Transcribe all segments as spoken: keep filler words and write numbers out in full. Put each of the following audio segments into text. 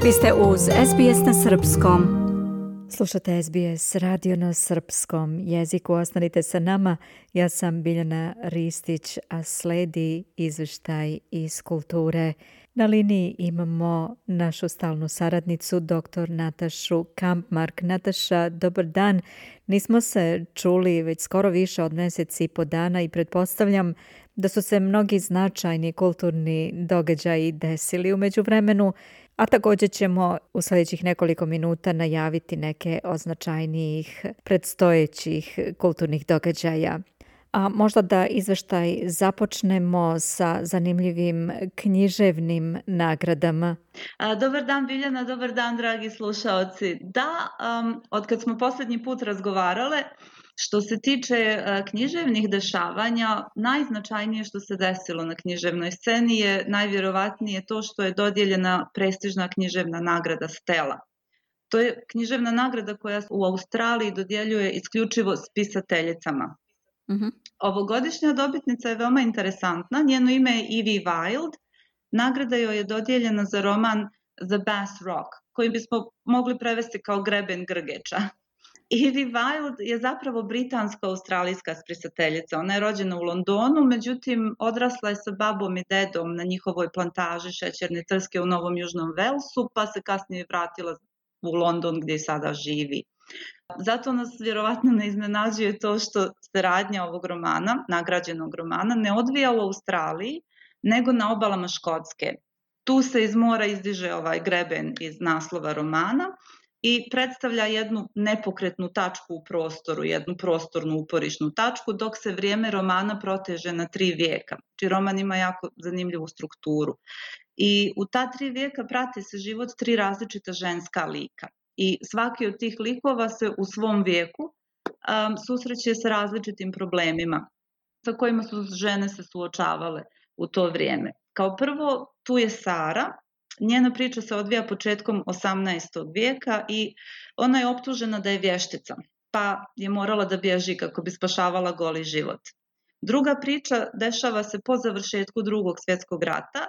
Vi ste uz S B S na srpskom. Slušate S B S radio na srpskom jeziku. Ostanite sa nama. Ja sam Biljana Ristić, a sledi izvještaj iz kulture. Na liniji imamo našu stalnu saradnicu, doktor Natašu Kampmark. Nataša, dobar dan. Nismo se čuli već skoro više od mjeseci i po dana i pretpostavljam da su se mnogi značajni kulturni događaji desili u međuvremenu, a također ćemo u sljedećih nekoliko minuta najaviti neke od značajnijih predstojećih kulturnih događaja. A možda da izveštaj započnemo sa zanimljivim književnim nagradama. A, dobar dan Biljana, dobar dan dragi slušaoci. Da, um, od kad smo posljednji put razgovarale, što se tiče uh, književnih dešavanja, najznačajnije što se desilo na književnoj sceni je najvjerovatnije to što je dodijeljena prestižna književna nagrada Stella. To je književna nagrada koja u Australiji dodjeljuje isključivo spisateljicama. Mm-hmm. Ovogodišnja dobitnica je veoma interesantna. Njeno ime je Evie Wyld. Nagrada joj je dodijeljena za roman The Bass Rock, koji bismo mogli prevesti kao Greben Grgeča. Evie Wyld je zapravo britansko-australijska spisateljica. Ona je rođena u Londonu, međutim odrasla je sa babom i dedom na njihovoj plantaži šećerne trske u Novom Južnom Velsu, pa se kasnije vratila u London gdje sada živi. Zato nas vjerovatno ne iznenađuje to što se radnja ovog romana, nagrađenog romana, ne odvija u Australiji, nego na obalama Škotske. Tu se iz mora izdiže ovaj greben iz naslova romana i predstavlja jednu nepokretnu tačku u prostoru, jednu prostornu uporišnu tačku, dok se vrijeme romana proteže na tri vijeka. Znači roman ima jako zanimljivu strukturu. I u ta tri vijeka prati se život tri različita ženska lika. I svaki od tih likova se u svom vijeku um, susreće sa različitim problemima sa kojima su žene se suočavale u to vrijeme. Kao prvo, tu je Sara. Njena priča se odvija početkom osamnaestog vijeka i ona je optužena da je vještica, pa je morala da bježi kako bi spašavala goli život. Druga priča dešava se po završetku Drugog svjetskog rata.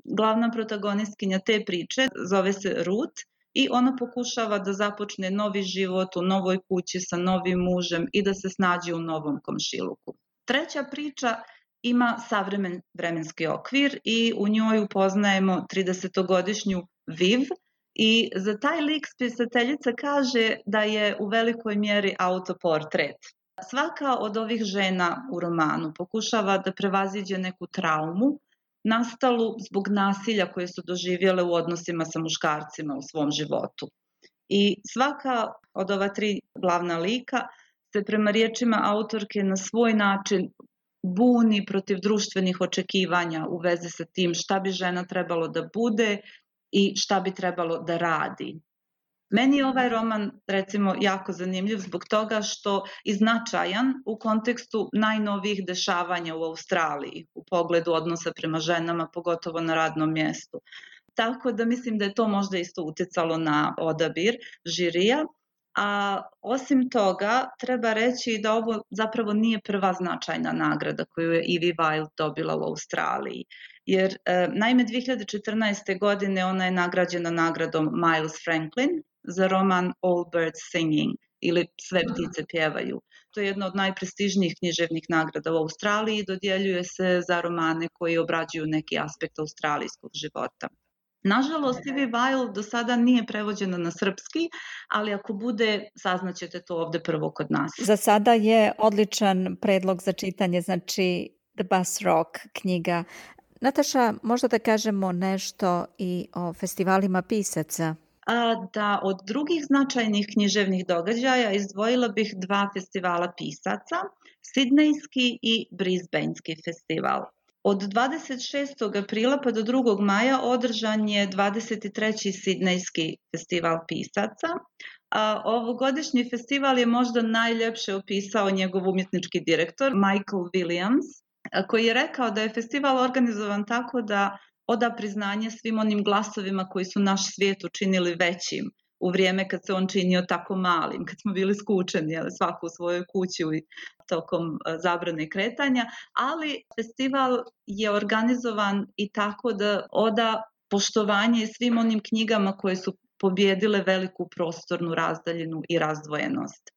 Glavna protagonistkinja te priče zove se Ruth i ona pokušava da započne novi život u novoj kući sa novim mužem i da se snađe u novom komšiluku. Treća priča ima savremen vremenski okvir i u njoj upoznajemo tridesetogodišnju Viv i za taj lik spisateljica kaže da je u velikoj mjeri autoportret. Svaka od ovih žena u romanu pokušava da prevaziđe neku traumu nastalu zbog nasilja koje su doživjele u odnosima sa muškarcima u svom životu. I svaka od ova tri glavna lika se prema riječima autorke na svoj način buni protiv društvenih očekivanja u vezi sa tim šta bi žena trebalo da bude i šta bi trebalo da radi. Meni je ovaj roman, recimo, jako zanimljiv zbog toga što je značajan u kontekstu najnovijih dešavanja u Australiji u pogledu odnosa prema ženama, pogotovo na radnom mjestu. Tako da mislim da je to možda isto utjecalo na odabir žirija. A osim toga, treba reći da ovo zapravo nije prva značajna nagrada koju je Evie Wyld dobila u Australiji. Jer, e, naime, dvije hiljade četrnaeste. godine ona je nagrađena nagradom Miles Franklin za roman All Birds Singing ili Sve ptice pjevaju. To je jedna od najprestižnijih književnih nagrada u Australiji i dodjeljuje se za romane koji obrađuju neki aspekt australijskog života. Nažalost, Evie Wyld do sada nije prevođena na srpski, ali ako bude, saznaćete to ovdje prvo kod nas. Za sada je odličan predlog za čitanje, znači The Bass Rock knjiga. Nataša, možda da kažemo nešto i o festivalima pisaca? A, da, od drugih značajnih književnih događaja izdvojila bih dva festivala pisaca, Sidnejski i Brisbanejski festival. Od dvadeset šestog aprila pa do drugog maja održan je dvadeset treći Sidnejski festival pisaca. A ovogodišnji festival je možda najljepše opisao njegov umjetnički direktor Michael Williams, koji je rekao da je festival organizovan tako da oda priznanje svim onim glasovima koji su naš svijet učinili većim u vrijeme kad se on činio tako malim, kad smo bili skučeni, jel, svako u svojoj kući tokom zabrane kretanja, ali festival je organizovan i tako da oda poštovanje svim onim knjigama koje su pobjedile veliku prostornu razdaljinu i razdvojenost.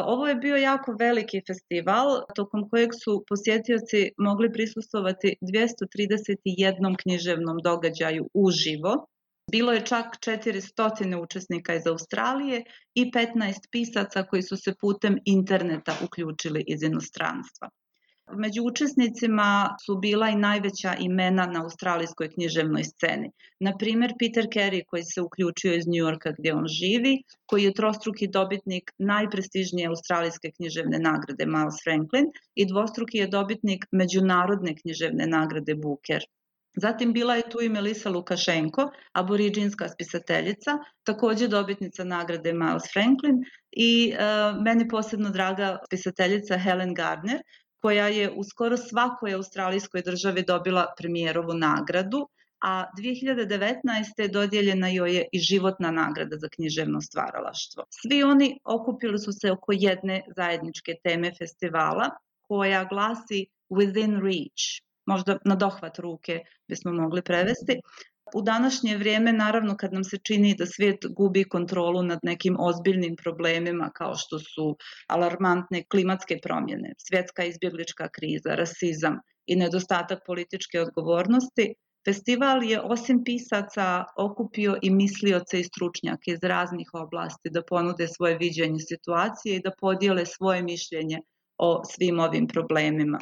Ovo je bio jako veliki festival, tokom kojeg su posjetioci mogli prisustvovati dvjesto trideset jedan književnom događaju uživo. Bilo je čak četiristo učesnika iz Australije i petnaest pisaca koji su se putem interneta uključili iz inostranstva. Među učesnicima su bila i najveća imena na australijskoj književnoj sceni. Na primjer, Peter Carey, koji se uključio iz New Yorka gdje on živi, koji je trostruki dobitnik najprestižnije australijske književne nagrade Miles Franklin i dvostruki je dobitnik međunarodne književne nagrade Booker. Zatim bila je tu i Melissa Lukašenko, aboriđinska spisateljica, također dobitnica nagrade Miles Franklin i uh, meni posebno draga spisateljica Helen Gardner, koja je u skoro svakoj australijskoj državi dobila premijerovu nagradu, a dvije hiljade devetnaeste. dodijeljena joj je i životna nagrada za književno stvaralaštvo. Svi oni okupili su se oko jedne zajedničke teme festivala, koja glasi Within Reach, možda na dohvat ruke bismo mogli prevesti. U današnje vrijeme, naravno, kad nam se čini da svijet gubi kontrolu nad nekim ozbiljnim problemima kao što su alarmantne klimatske promjene, svjetska izbjeglička kriza, rasizam i nedostatak političke odgovornosti, festival je osim pisaca okupio i mislioce i stručnjake iz raznih oblasti da ponude svoje viđenje situacije i da podijele svoje mišljenje o svim ovim problemima.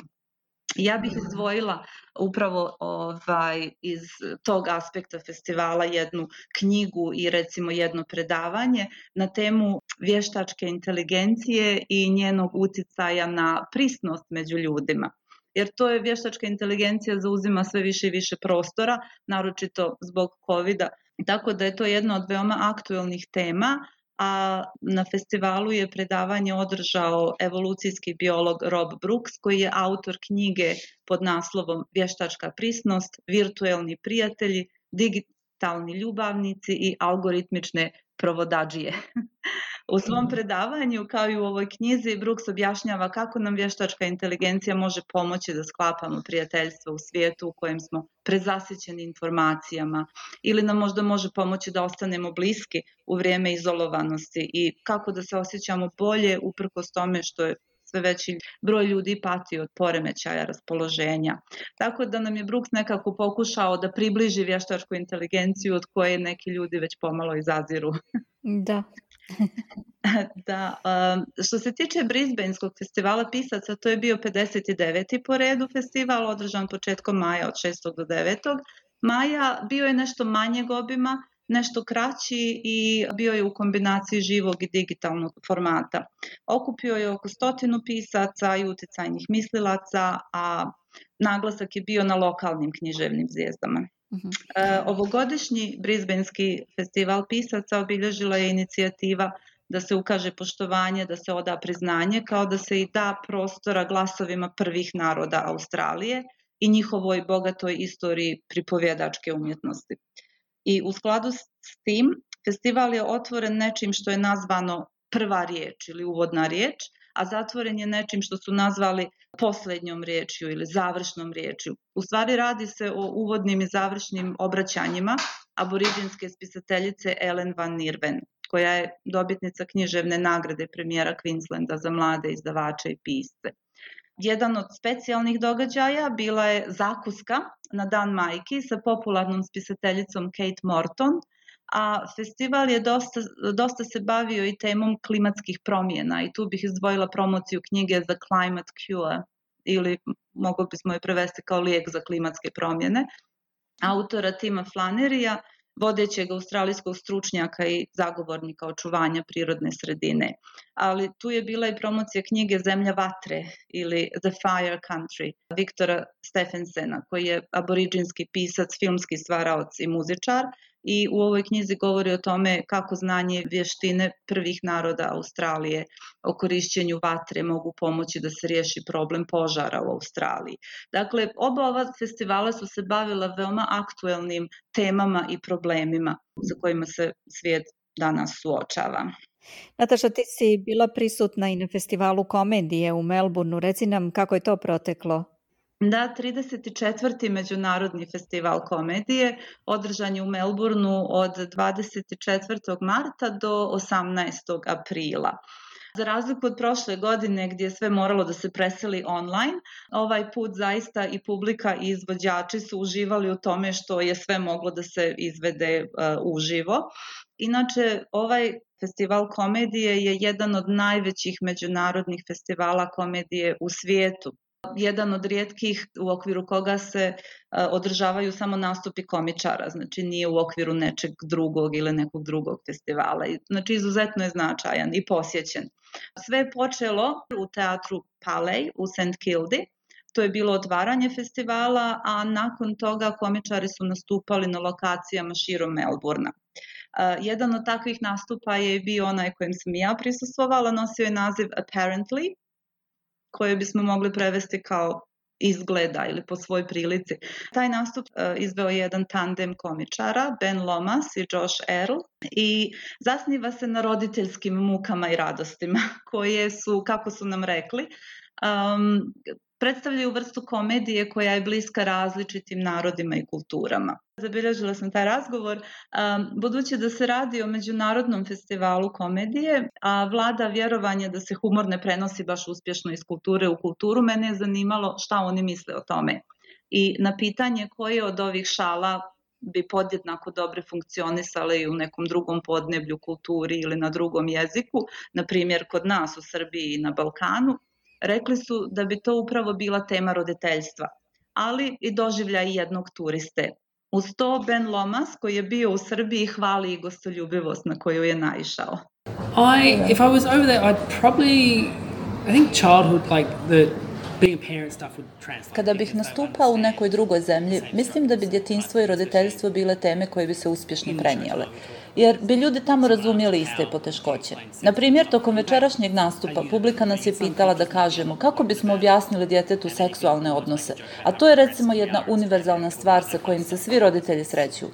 Ja bih izdvojila upravo ovaj, iz tog aspekta festivala jednu knjigu i recimo jedno predavanje na temu vještačke inteligencije i njenog utjecaja na prisnost među ljudima. Jer to je vještačka inteligencija zauzima sve više i više prostora, naročito zbog covida. Tako da je to jedna od veoma aktuelnih tema, a na festivalu je predavanje održao evolucijski biolog Rob Brooks, koji je autor knjige pod naslovom Vještačka prisnost, virtuelni prijatelji, digitalni ljubavnici i algoritmične provodadžije. U svom predavanju, kao i u ovoj knjizi, Brooks objašnjava kako nam vještačka inteligencija može pomoći da sklapamo prijateljstvo u svijetu u kojem smo prezasićeni informacijama ili nam možda može pomoći da ostanemo bliski u vrijeme izolovanosti i kako da se osjećamo bolje uprkos tome što je sve veći broj ljudi pati od poremećaja raspoloženja. Tako da nam je Brooks nekako pokušao da približi vještačku inteligenciju od koje neki ljudi već pomalo izaziru. Da. Da, um, što se tiče Brisbaneskog festivala pisaca, to je bio pedeset deveti po redu festival, održan početkom maja od šestog do devetog maja. Bio je nešto manjeg obima, nešto kraći i bio je u kombinaciji živog i digitalnog formata. Okupio je oko stotinu pisaca i utjecajnih mislilaca, a naglasak je bio na lokalnim književnim zvijezdama. Uh-huh. E, ovogodišnji Brisbanski festival pisaca obilježila je inicijativa da se ukaže poštovanje, da se oda priznanje, kao da se i da prostora glasovima prvih naroda Australije i njihovoj bogatoj istoriji pripovjedačke umjetnosti. I u skladu s tim, festival je otvoren nečim što je nazvano prva riječ ili uvodna riječ, a zatvoren je nečim što su nazvali posljednjom riječju ili završnom riječju. U stvari radi se o uvodnim i završnim obraćanjima aboriđinske spisateljice Ellen Van Nierven, koja je dobitnica književne nagrade premijera Queenslanda za mlade izdavače i pisce. Jedan od specijalnih događaja bila je zakuska na Dan majki sa popularnom spisateljicom Kate Morton, a festival je dosta, dosta se bavio i temom klimatskih promjena i tu bih izdvojila promociju knjige The Climate Cure, ili mogli bismo je prevesti kao lijek za klimatske promjene, autora Tima Flannerija, vodećeg australijskog stručnjaka i zagovornika očuvanja prirodne sredine. Ali tu je bila i promocija knjige Zemlja vatre ili The Fire Country Viktora Stephensena, koji je aboriđinski pisac, filmski stvaraoc i muzičar, i u ovoj knjizi govori o tome kako znanje i vještine prvih naroda Australije o korišćenju vatre mogu pomoći da se riješi problem požara u Australiji. Dakle, oba ova festivala su se bavila veoma aktuelnim temama i problemima sa kojima se svijet danas suočava. Nataša, ti si bila prisutna i na festivalu komedije u Melbourneu. Reci nam kako je to proteklo. Da, trideset četvrti Međunarodni festival komedije održan je u Melbourneu od dvadeset četvrtog marta do osamnaestog aprila. Za razliku od prošle godine gdje je sve moralo da se preseli online, ovaj put zaista i publika i izvođači su uživali u tome što je sve moglo da se izvede uh, uživo. Inače, ovaj festival komedije je jedan od najvećih međunarodnih festivala komedije u svijetu. Jedan od rijetkih u okviru koga se uh, održavaju samo nastupi komičara, znači nije u okviru nečeg drugog ili nekog drugog festivala. Znači izuzetno je značajan i posjećen. Sve je počelo u teatru Palais u Saint Kilda. To je bilo otvaranje festivala, a nakon toga komičari su nastupali na lokacijama širom Melbourna. Uh, jedan od takvih nastupa je bio onaj kojem sam ja prisustvovala, nosio je naziv Apparently, koje bismo mogli prevesti kao izgleda ili po svoj prilici. Taj nastup uh, izveo je jedan tandem komičara, Ben Lomas i Josh Earl, i zasniva se na roditeljskim mukama i radostima, koje su, kako su nam rekli, um, predstavljaju vrstu komedije koja je bliska različitim narodima i kulturama. Zabilježila sam taj razgovor, um, budući da se radi o međunarodnom festivalu komedije, a vlada vjerovanje da se humor ne prenosi baš uspješno iz kulture u kulturu, mene je zanimalo šta oni misle o tome. I na pitanje koje od ovih šala bi podjednako dobre funkcionisale i u nekom drugom podneblju, kulturi ili na drugom jeziku, na primjer kod nas u Srbiji i na Balkanu, rekli su da bi to upravo bila tema roditeljstva, ali i doživljaj jednog turiste. Uz to Ben Lomas, koji je bio u Srbiji, hvali i gostoljubivost na koju je naišao. I, if I was over there, I'd probably, I think childhood, like the being a parent stuff would translate. Kada bih nastupao u nekoj drugoj zemlji, mislim da bi djetinjstvo i roditeljstvo bile teme koje bi se uspješno prenijele, jer bi ljudi tamo razumjeli iste poteškoće. Na primjer, tokom večerašnjeg nastupa publika nas je pitala da kažemo kako bismo objasnili djetetu seksualne odnose, a to je recimo jedna univerzalna stvar sa kojim se svi roditelji sreću.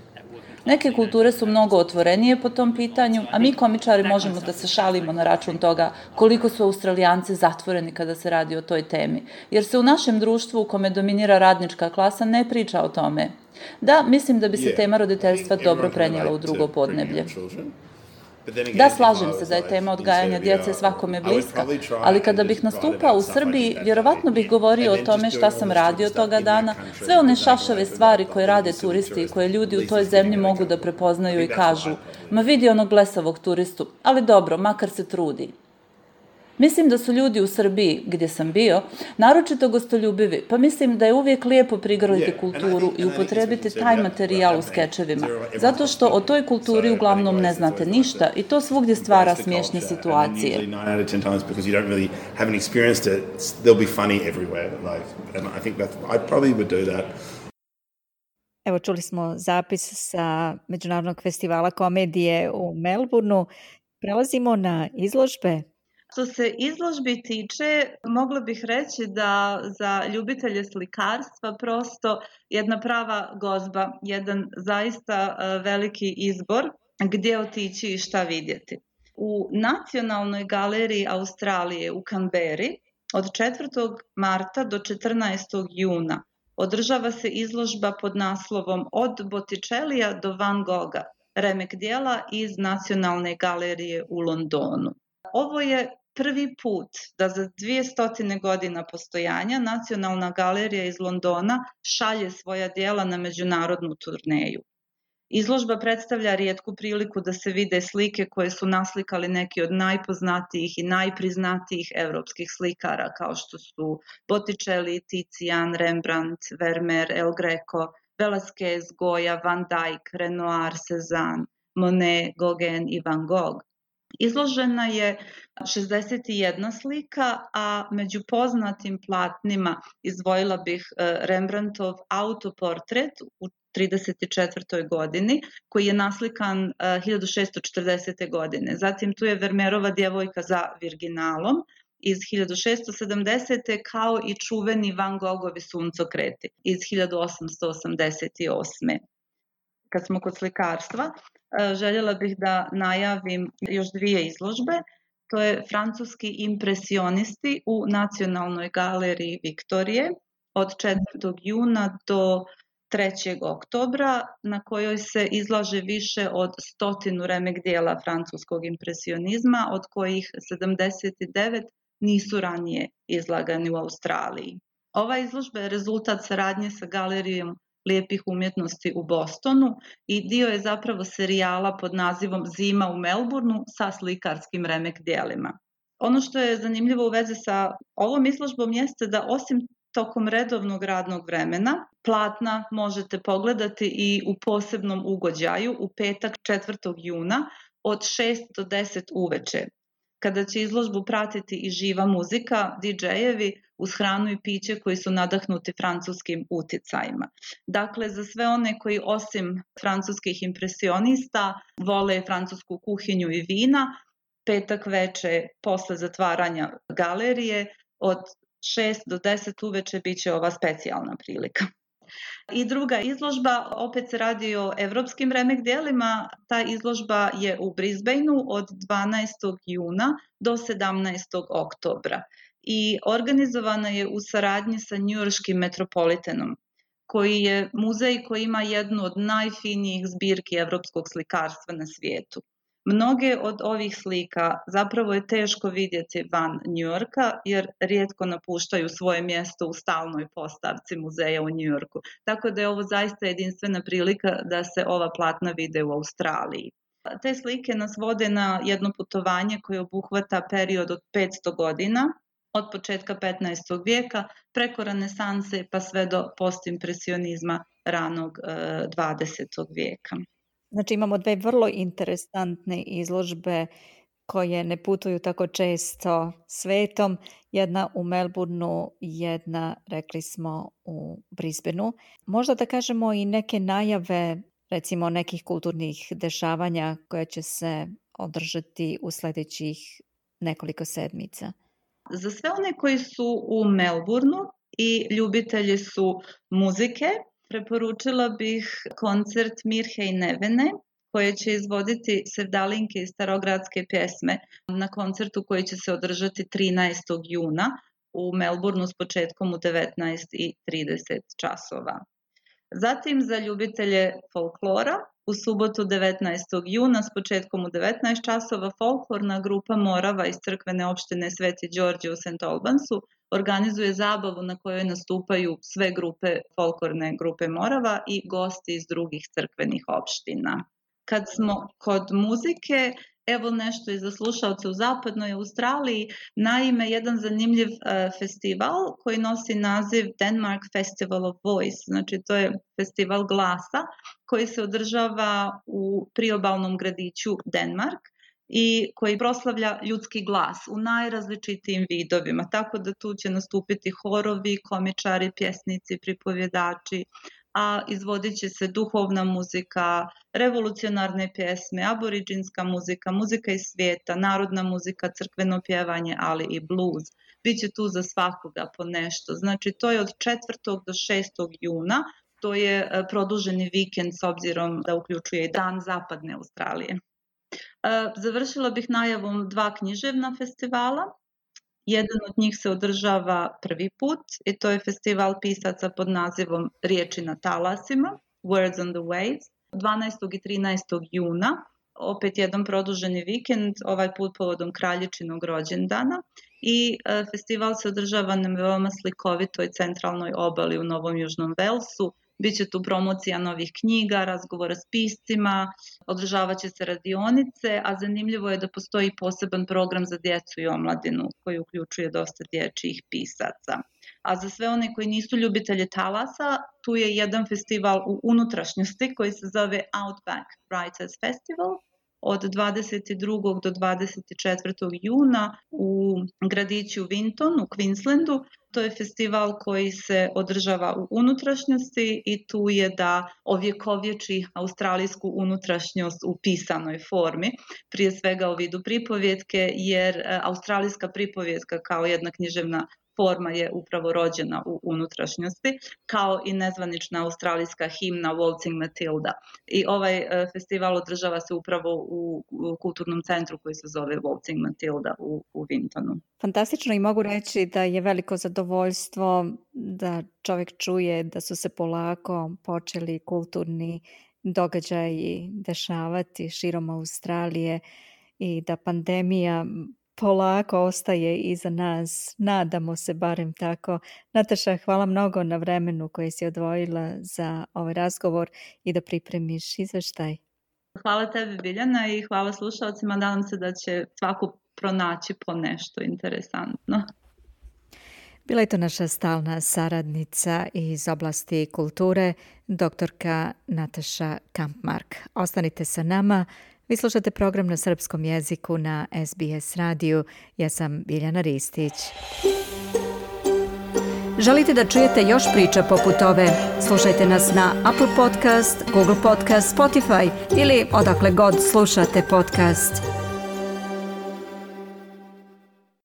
Neke kulture su mnogo otvorenije po tom pitanju, a mi komičari možemo da se šalimo na račun toga koliko su Australijanci zatvoreni kada se radi o toj temi, jer se u našem društvu u kome dominira radnička klasa ne priča o tome. Da, mislim da bi se tema roditeljstva dobro prenijela u drugo podneblje. Da, slažem se da je tema odgajanja djece svakome bliska, ali kada bih nastupao u Srbiji, vjerovatno bih govorio o tome šta sam radio toga dana, sve one šašave stvari koje rade turisti i koje ljudi u toj zemlji mogu da prepoznaju i kažu, ma vidi onog blesavog turistu, ali dobro, makar se trudi. Mislim da su ljudi u Srbiji, gdje sam bio, naročito gostoljubivi, pa mislim da je uvijek lijepo prigrliti kulturu i upotrebiti taj materijal u skečevima, zato što o toj kulturi uglavnom ne znate ništa i to svugdje stvara smiješne situacije. Evo, čuli smo zapis sa Međunarodnog festivala komedije u Melbourneu. Prelazimo na izložbe. Što se izložbi tiče, mogla bih reći da za ljubitelje slikarstva prosto jedna prava gozba, jedan zaista veliki izbor gdje otići i šta vidjeti. U Nacionalnoj galeriji Australije u Canberri od četvrtog marta do četrnaestog juna održava se izložba pod naslovom Od Botticellija do Van Gogha, remek dijela iz Nacionalne galerije u Londonu. Ovo je prvi put da za dvije godina postojanja Nacionalna galerija iz Londona šalje svoja djela na međunarodnu turneju. Izložba predstavlja rijetku priliku da se vide slike koje su naslikali neki od najpoznatijih i najpriznatijih evropskih slikara kao što su Botticelli, Tizian, Rembrandt, Vermeer, El Greco, Velázquez, Goya, Van Dyck, Renoir, Cézanne, Monet, Gauguin i Van Gogh. Izložena je šezdeset jedna slika, a među poznatim platnima izdvojila bih Rembrandtov autoportret u trideset četvrtoj godini, koji je naslikan hiljadu šesto četrdesete godine. Zatim tu je Vermeerova Djevojka za Virginalom iz hiljadu šesto sedamdesete kao i čuveni Van Gogovi Suncokreti iz hiljadu osamsto osamdeset osme. Kad smo kod slikarstva, željela bih da najavim još dvije izložbe. To je francuski impresionisti u Nacionalnoj galeriji Viktorije od četvrtog juna do trećeg oktobra, na kojoj se izlaže više od stotinu remek dijela francuskog impresionizma, od kojih sedamdeset devet nisu ranije izlagani u Australiji. Ova izložba je rezultat saradnje sa Galerijom lijepih umjetnosti u Bostonu i dio je zapravo serijala pod nazivom Zima u Melbourneu sa slikarskim remek dijelima. Ono što je zanimljivo u vezi sa ovom izložbom jeste da osim tokom redovnog radnog vremena platna možete pogledati i u posebnom ugođaju u petak četvrtog juna od šest do deset uveče, kada će izložbu pratiti i živa muzika, didžejevi uz hranu i piće koji su nadahnuti francuskim uticajima. Dakle, za sve one koji osim francuskih impresionista vole francusku kuhinju i vina, petak veče posle zatvaranja galerije od šest do deset uveče bit će ova specijalna prilika. I druga izložba, opet se radi o evropskim remek dijelima, ta izložba je u Brisbaneu od dvanaestog juna do sedamnaestog oktobra i organizovana je u saradnji sa njujorškim Metropolitanom, koji je muzej koji ima jednu od najfinijih zbirki evropskog slikarstva na svijetu. Mnoge od ovih slika zapravo je teško vidjeti van Njujorka jer rijetko napuštaju svoje mjesto u stalnoj postavci muzeja u Njujorku. Tako da je ovo zaista jedinstvena prilika da se ova platna vide u Australiji. Te slike nas vode na jedno putovanje koje obuhvata period od petsto godina, od početka petnaestog vijeka preko renesanse pa sve do postimpresionizma ranog dvadesetog vijeka. Znači imamo dve vrlo interesantne izložbe koje ne putuju tako često svetom. Jedna u Melbourneu, jedna, rekli smo, u Brisbaneu. Možda da kažemo i neke najave, recimo nekih kulturnih dešavanja koje će se održati u sljedećih nekoliko sedmica. Za sve one koji su u Melbourneu i ljubitelji su muzike, preporučila bih koncert Mirhe i Nevene, koje će izvoditi sevdalinke i starogradske pjesme na koncertu koji će se održati trinaestog juna u Melbourneu s početkom u devetnaest i trideset časova. Zatim za ljubitelje folklora u subotu devetnaestog juna s početkom u devetnaest časova folklorna grupa Morava iz crkvene opštine Sveti Đorđe u Saint Albansu organizuje zabavu na kojoj nastupaju sve grupe folklorne grupe Morava i gosti iz drugih crkvenih opština. Kad smo kod muzike, evo nešto i za slušalce u zapadnoj Australiji, naime jedan zanimljiv uh, festival koji nosi naziv Denmark Festival of Voice, znači to je festival glasa koji se održava u priobalnom gradiću Denmark i koji proslavlja ljudski glas u najrazličitijim vidovima, tako da tu će nastupiti horovi, komičari, pjesnici, pripovjedači, a izvodit će se duhovna muzika, revolucionarne pjesme, aboriđinska muzika, muzika iz svijeta, narodna muzika, crkveno pjevanje, ali i blues. Biće tu za svakoga po nešto. Znači to je od četvrtog do šestog juna, to je produženi vikend s obzirom da uključuje i dan zapadne Australije. Završila bih najavom dva književna festivala. Jedan od njih se održava prvi put i to je festival pisaca pod nazivom Riječi na talasima, Words on the Waves, dvanaestog i trinaestog juna. Opet jedan produženi vikend, ovaj put povodom kraljičinog rođendana i e, festival se održava na veoma slikovitoj centralnoj obali u Novom Južnom Velsu. Biće tu promocija novih knjiga, razgovora s piscima, održavat će se radionice, a zanimljivo je da postoji poseban program za djecu i omladinu koji uključuje dosta dječjih pisaca. A za sve one koji nisu ljubitelji talasa, tu je jedan festival u unutrašnjosti koji se zove Outback Writers Festival od dvadeset drugog do dvadeset četvrtog juna u gradiću Winton u Queenslandu. To je festival koji se održava u unutrašnjosti i tu je da ovjekovječi australijsku unutrašnjost u pisanoj formi, prije svega u vidu pripovjetke, jer australijska pripovjetka kao jedna književna forma je upravo rođena u unutrašnjosti, kao i nezvanična australijska himna Waltzing Matilda. I ovaj festival održava se upravo u, u kulturnom centru koji se zove Waltzing Matilda u, u Wintonu. Fantastično, i mogu reći da je veliko zadovoljstvo da čovjek čuje da su se polako počeli kulturni događaji dešavati širom Australije i da pandemija polako ostaje iza nas. Nadamo se barem tako. Nataša, hvala mnogo na vremenu koje si odvojila za ovaj razgovor i da pripremiš izveštaj. Hvala tebi, Biljana, i hvala slušalcima. Nadam se da će svako pronaći po nešto interesantno. Bila je to naša stalna saradnica iz oblasti kulture, doktorka Nataša Kampmark. Ostanite sa nama. Vi slušate program na srpskom jeziku na S B S radiju. Ja sam Biljana Ristić. Želite da čujete još priča poput ove? Slušajte nas na Apple Podcast, Google Podcast, Spotify ili odakle god slušate podcast.